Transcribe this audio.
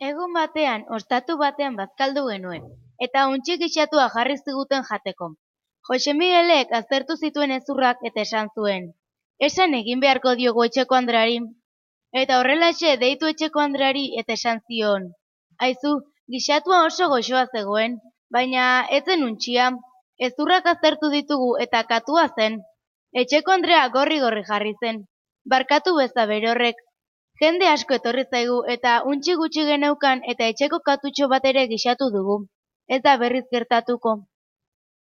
Egun batean, ostatu batean bazkaldu genuen, eta untxi gixatua jarri ziguten jateko. Jose Miguelek aztertu zituen hezurrak eta esan zuen: "Esan egin beharko diogu etxeko andreari." Eta horrelaxe deitu etxeko andreari eta esan zion: "Aizu, gixatua oso goxoa zegoen, baina ez zen untxia. Hezurrak aztertu ditugu eta katua zen." Etxeko andrea gorri-gorri jarri zen. "Barkatu beza bere horrek. Jende asko etorri zaigu eta untxi gutxi geneukan eta etxeko katutxo bat ere gixatu dugu. Ez da berriz gertatuko."